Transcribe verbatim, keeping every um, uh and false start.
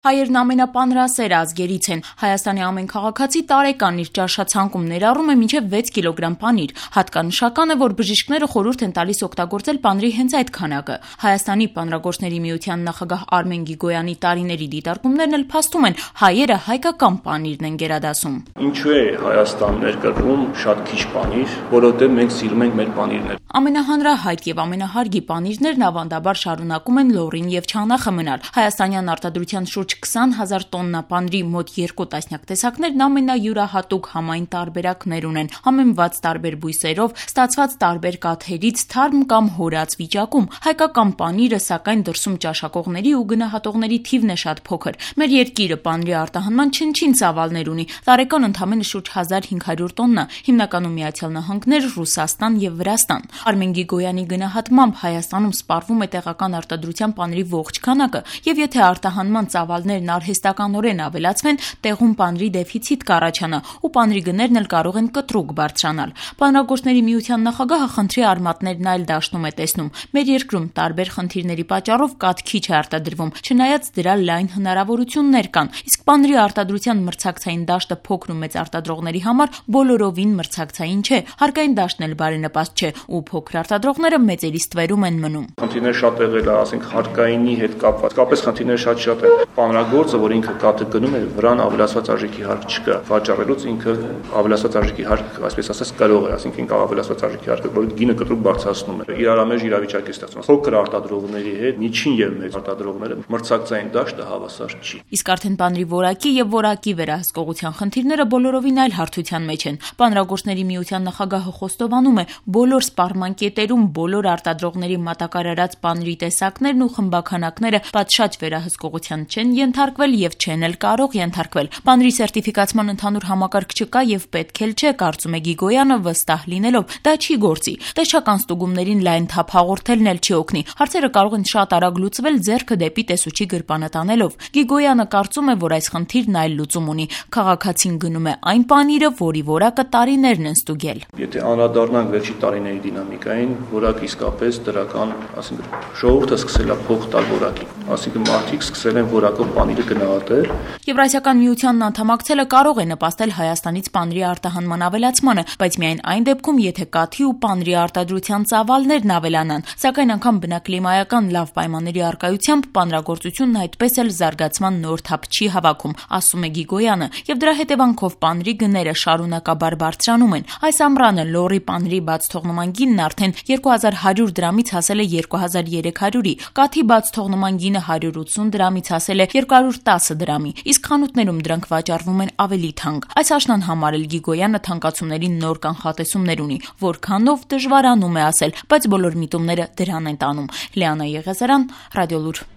Հայերն ամենապանրասեր ազգերից են։ Հայաստանի ամեն քաղաքացի տարեկան իր ճաշացանկում ներառում է մինչև վեց կիլոգրամ պանիր։ Հատկանշական է, որ բժիշկները խորհուրդ են տալիս օգտագործել պանրի հենց այդ քանակը։ Հայաստանի պանրագործների միության նախագահ Արմեն Գիգոյանի տարիների դիտարկումներն էլ փաստում են, հայերը հայկական պանիրն են գերադասում։ Ինչու է Հայաստան ներկրվում շատ քիչ պանիր, որովհետև մենք սիրում ենք մեր պանիրները։ Ամենահանրահայտ եւ ամենահարգի պանիրներն ավանդաբար շարունակում են լոռին եւ չանախը մնալ։ Հայաստանյան արտադրության շուրջ քսան հազար տոննա պանրի մոտ երկու տասնյակ տեսակներն ամենայուրահատուկ համային տարբերակներ ունեն, համեմված տարբեր բույսերով, ստացված տարբեր կաթերից, թարմ կամ հորած վիճակում։ Հայկական պանիրը, սակայն, դրսում ճաշակողների ու գնահատողների թիվն է շատ փոքր։ Մեր երկիրը պանրի արտահանման չնչին ծավալներ ունի, տարեկան ընդամենը շուրջ հազար հինգ հարյուր տոննա, հիմնականում Միացյալ Նահանգներ, Ռուսաստան եւ Վրաստան։ Արմեն Գիգոյանի գնահատմամբ Հայաստանում սպառվում է տեղական արտադրության պանրի ողջ քանակը, եւ եթե արտահանման ծավալներն արհեստականորեն ավելացվեն, տեղում պանրի դեֆիցիտ կառաջանա ու պանրի գներն էլ կարող են կտրուկ բարձրանալ։ Պանրագործների միության նախագահը խնդրի արմատներն այլ դաշտում է տեսնում։ Մեր երկրում տարբեր խնդիրների պատճառով կաթ քիչ է արտադրվում, չնայած դրա լայն հնարավորություններ կան, իսկ պանրի արտադրության մրցակցային դաշտը փոքր ու մեծ արտադրողների համար բոլորովին մրցակցային չէ, հարկային դաշտն էլ բարենպաստ չէ ու փոքր արտադրողները մեծերի ստվերում են մնում։ Խնդիրները շատ եղել է, ասենք հարկայինի հետ կապված, կապես խնդիրները շատ շատ են։ Պանրագործը, որ ինքը կաթը գնում է, վրան ավելացված արժեքի հարկ չկա, վաճառելուց ինքը ավելացված արժեքի հարկ, այսպես ասած, կարող է, ասենք ինքը ավելացված արժեքի հարկը, որ գինը կտրուկ բարձրացնում է։ Իրարամեջ իրավիճակ է ստեղծում։ Փոքր արտադրողների հետ միջին եւ մեծ արտադրողները մրցակցային դաշտը հավասար չի։ Իսկ արդեն պանրի որակի եւ որակի վերահսկողության խնդիրները բոլորովին այլ հարթության մեջ են։ Պանրագործների միության նախագահը խոստովանում է, բոլոր սպառման կետերում բոլոր արտադրողների մատակարարած պանրի տեսակներն ու խմբաքանակները պատշաճ վերահսկողության չեն ենթարկվել եւ չեն էլ կարող ենթարկվել։ Պանրի սերտիֆիկացման ընդհանուր համակարգ չկա եւ պետք էլ չէ, կարծում է Գիգոյանը, վստահ լինելով, դա չի գործի։ Տեսչական ստուգումներին լայն թափ հաղորդելն էլ չի օգնի։ Հարցերը կարող են շատ արագ լուծվել ձեռքը դեպի տեսուչի գրպանը տանելով։ Գիգոյանը կարծում է, որ այս խնդիրն այլ լուծում ունի։ Քաղաքացին գնում է այն պանիրը, որի որակը տարիներն են ստուգել։ Եթե անդրադառնանք վերջի տարիների դինամիկային, որակ իսկապես դրական, ասենք, ժողովուրդը սկսել է փող տալ որակին, ասենք մարդիկ սկսել են որակով պանիրը գնահատել։ Եվրասիական միությանն անդամակցելը կարող է նպաստել Հայաստանից պանրի արտահանման ավելացմանը, բայց միայն այն դեպքում, եթե կաթի ու պանրի արտադրության ծավալներն ավելանան, սակայն անգամ բնակլիմայական լավ պայմանների առկայությամբ պանրագործությունն այդպես էլ զարգացման նոր թափ չի հավաքում, ասում է Գիգոյանը, եւ դրա հետևանքով պանրի գները շարունակաբար բարձրանում են։ Այս ամռանը լոռի պանրի բաց թողնման գինն արդեն երկու հազար հարյուր դրամից հասել է երկու հազար երեք հարյուրի, կաթի բաց թողնման գինը հարյուր ութսուն դրամից հասել է երկու հարյուր տասը դրամի, իսկ խանութներում դրանք վաճառվում են ավելի թանկ։ Այս աշնան համարել Գիգոյանը թանկացումների նոր կանխատեսումներ ունի, որքանով դժվարանում է ասել, բայց բոլոր միտումները դրան են տանում։ Լիանա Եղիազարյան, Ռադիոլուր։